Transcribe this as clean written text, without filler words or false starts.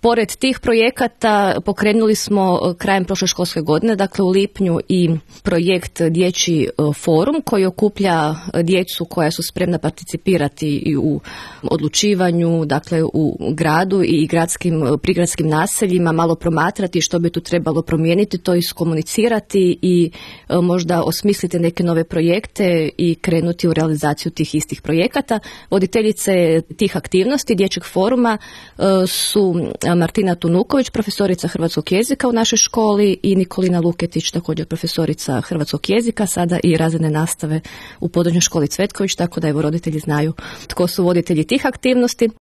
Pored tih projekata pokrenuli smo krajem prošle školske godine, dakle u lipnju, i projekt Dječji forum koji okuplja djecu koja su spremna participirati i u odlučivanju, dakle u gradu i prigradskim naseljima, malo promatrati što bi tu trebalo promijeniti, to iskomunicirati i možda osmisliti neke nove projekte i krenuti u realizaciju tih istih projekata. Voditeljice tih aktivnosti Dječjeg foruma su Martina Tunuković, profesorica hrvatskog jezika u našoj školi, i Nikolina Luketić, također profesorica hrvatskog jezika, sada i razredne nastave u područnoj školi Cvetković, tako da evo roditelji znaju tko su voditelji tih aktivnosti.